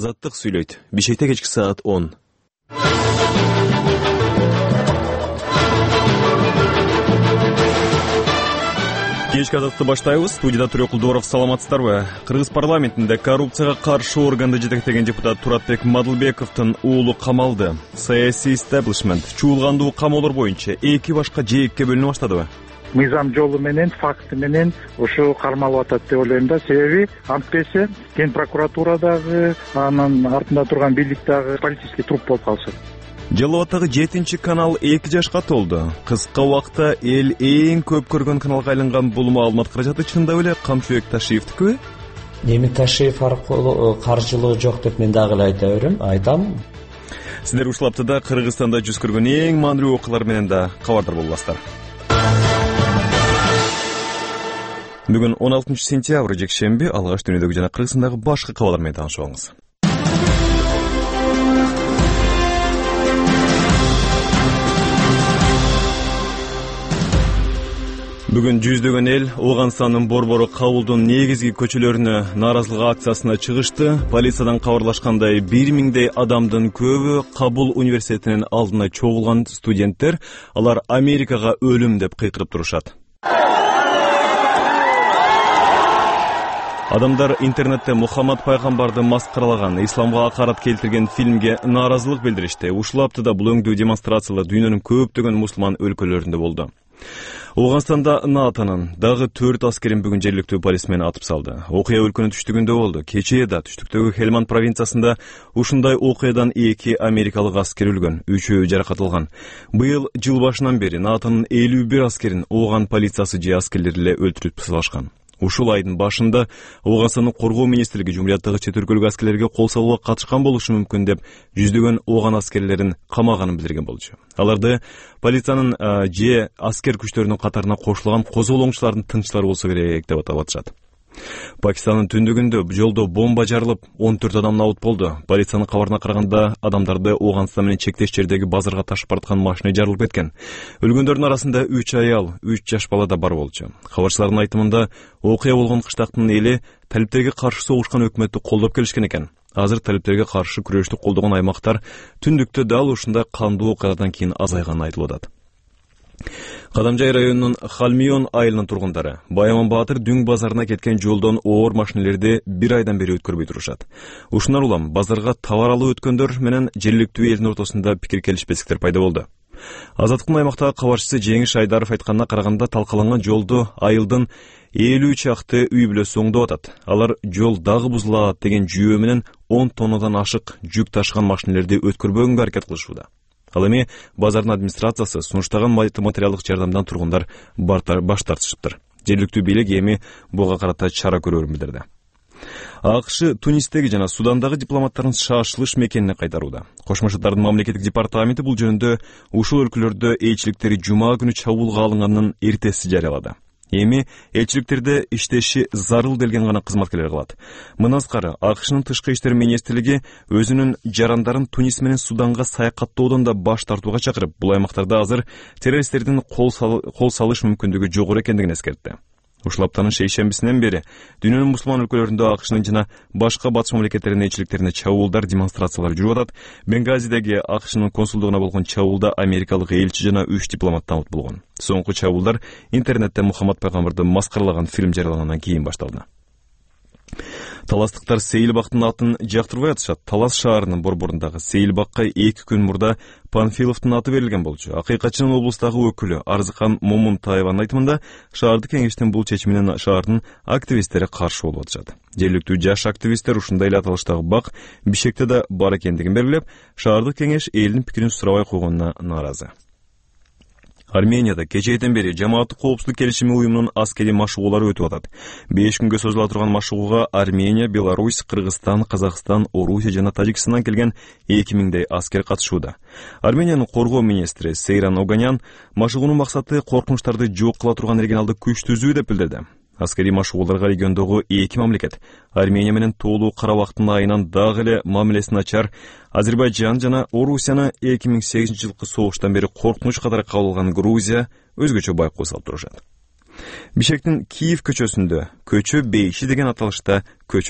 Азаттык сүйлөйт. Бишкекте кечки саат 10. Кечки азатты баштайбыз. Студияда Түрөк Кулдуоров, саламатсыздарбы? Кыргыз парламентинде коррупцияга каршы органды жетектеген депутат Туратбек Мадылбековдун уулу камалды. Саясий истеблишмент чуулгандуу камоолор боюнча эки башка жээкке бөлүнө баштадыбы? Мыйзам жолу менен, факты менен ушу кармалып атат деп ойлойм да. Себеби антпесе Кен прокуратура дагы, анын артында турган бийлик дагы полицейский труп болуп калышат. Жалал Абаддагы 7 канал 2 жашка толду. Кыска убакта эл эң көп көргөн каналга айланган бул маалымат каражаты чындап эле Камчыбек Ташиевдикиби? Эми Ташиев аркылуу каржылоо жок деп мен дагы эле айта берем, айтам. Сиздер ушул аптада Кыргызстанда жүз көргөн эң маанилүү окуялар менен да кабардар боласыздар. Бүгүн 16 сентябрь жекшемби, алгаш дүйнөдөгү жана Кыргызстандагы башка кабарлар менен таанышып алыңыз. Бүгүн жүздөгөн эл Ооганстандын Борбору Кабулдун негизги көчөлөрүнө нааразылык акциясына чыгышты. Полициядан кабарлашкандай 1000дей адамдын көбү Кабул университетинин алдына чогулган студенттер, алар Америкага өлүм деп кыйкырып турушат. Адамдар интернетте Мухаммад пайгамбарды маскаралаган, исламга акарат келтирген фильмге нааразылык билдиришти. Ушул аптада бул өңдүү демонстрациялар дүйнөнүн көптөгөн мусулман өлкөлөрүндө болду. Ооганстанда НАТОнун дагы 4 аскерин бүгүн жергиликтүү полис менен атып салды. Окуя өлкөнүн түштүгүндө болду. Кечээ да түштүктөгү Хелманд провинциясында ушундай окуядан 2 америкалык аскер өлгөн, 3-өө жаракат алган. Быйыл жыл башынан бери НАТОнун 51 аскерин Ооган полициясы же аскерлери эле өлтүрүп салышкан. Ушул айдын башында Ооганстандын коргоо министрлиги жумурияттагы чет өлкөлүк аскерлерге кол салууга катышкан болушу мүмкүн деп жүздөгөн Ооган аскерлерин камаганын билдирген болчу. Аларды полициянын же аскер күчтөрүнүн катарына кошулган козголоңчулардын тынччылары болсо керек деп аташат. Пакистандын түндүгүндө жолдо бомба жарылып, 14 адам набут болду. Полициянын кабарына караганда, адамдарды Ооганстан менен чектеш жердеги базарга ташып бараткан машина жарылып кеткен. Өлгөндөрдүн арасында 3 аял, 3 жаш бала да бар болчу. Кабарчылардын айтымында, окуя болгон кыштактын эли талиптерге каршы согушкан өкмөттү колдоп келишкен экен. Азыр талиптерге каршы күрөштү колдогон аймактар түндүктө дал ушундай кандуу окуядан кийин азайганын айтылып атат. Кадамжай районунун Халмион айылынын тургундары Байаман Баатыр Дүң базарына кеткен жолдон оор машинелерди 1 айдан бери өткөрбөй турушат. Ушундан улам базарга товар алып өткөндөр менен жергиликтүү элдин ортосунда пикир келишпестиктер пайда болду. Азаттыктын аймактагы кабарчысы Жеңиш Айдаров айтканына караганда, талкаланган жолду айылдын 50 чакты үй бүлөсү оңдоп атат. Алар жол дагы бузулат деген жүйөө менен 10 тоннадан ашык жүк ташыган машинелерди өткөрбөгөнгө аракет кылышууда. Ал эми базардын администрациясы сунуштаган материалдык жардамдан тургундар баш тартышыптыр. Жергиликтүү бийлик эми буга карата чара көрөрүн билдирди. АКШ Тунистеги жана Судандагы дипломаттарын шашылыш мекенине кайтарууда. Кошмо Шаттардын мамлекеттик департаменти бул жөнүндө ушул өлкөлөрдө элчиликтери жума күнү чабуулга алынганын эртеси жарыялады. Эми элчиликтерде иштеши зарыл делген гана кызматкерлер калат. Мындан тышкары АКШнын тышкы иштер министрлиги өзүнүн жарандарын Тунис менен Суданга саякаттоодон да баш тартууга чакырып, бул аймактарда азыр террористтердин кол салыш мүмкүндүгү жогору экендигин эскертти. Ушул аптанын шейшембисинен бери дүйнөнүн мусулман өлкөлөрүндө АКШнын жана башка батыш мамлекеттеринин элчиликтерине чабуулдар, демонстрациялар жүрүп атат. Бенгазидеги АКШнын консулдугуна болгон чабуулда америкалык элчи жана 3 дипломат табыт болгон. Соңку чабуулдар интернетте Мухаммад пайгамбарды маскаралаган фильм жарыялангандан кийин башталды. Таластыктар Сейилбактын атын жактырбай атышат. Талас шаарынын борборундагы Сейилбакка 2 күн мурда Панфиловдун аты берилген болчу. Акыйкатчынын облустагы өкүлү Арзыкан Момунтаеванын айтымында, шаардык кеңештин бул чечимине шаардын активисттери каршы болуп атышат. Жергиликтүү жаш активисттер ушундай эле аталыштагы бак Бишкекте да бар экендигин белгилеп, шаардык кеңеш элдин пикирин сурабай койгонуна нааразы. Арменияда кечээден бери жамааттык коопсуздук келишими уюмунун аскери машыгуулары өтүп атат. 5 күнгө созула турган машыгууга Армения, Беларусь, Кыргызстан, Казакстан, Орусия жана Тажикстандан келген 2000дей аскер катышууда. Армениянын коргоо министри Сейран Оганян машыгуунун максаты коркунучтарды жок кыла турган регионалдык күч түзүү деп билдирди. Аскери машыгууларга региондогу 2 мамлекет Армения менен тоолуу Карабактын айынан дагы эле мамилеси начар Азербайжан жана Орусияны 2008-жылкы согуштан бери коркунуч катары кабыл алган Грузия өзгөчө байкоо салып турушат. Бишкектин Киев көчөсүндө көчө бейиши деген аталышта көчө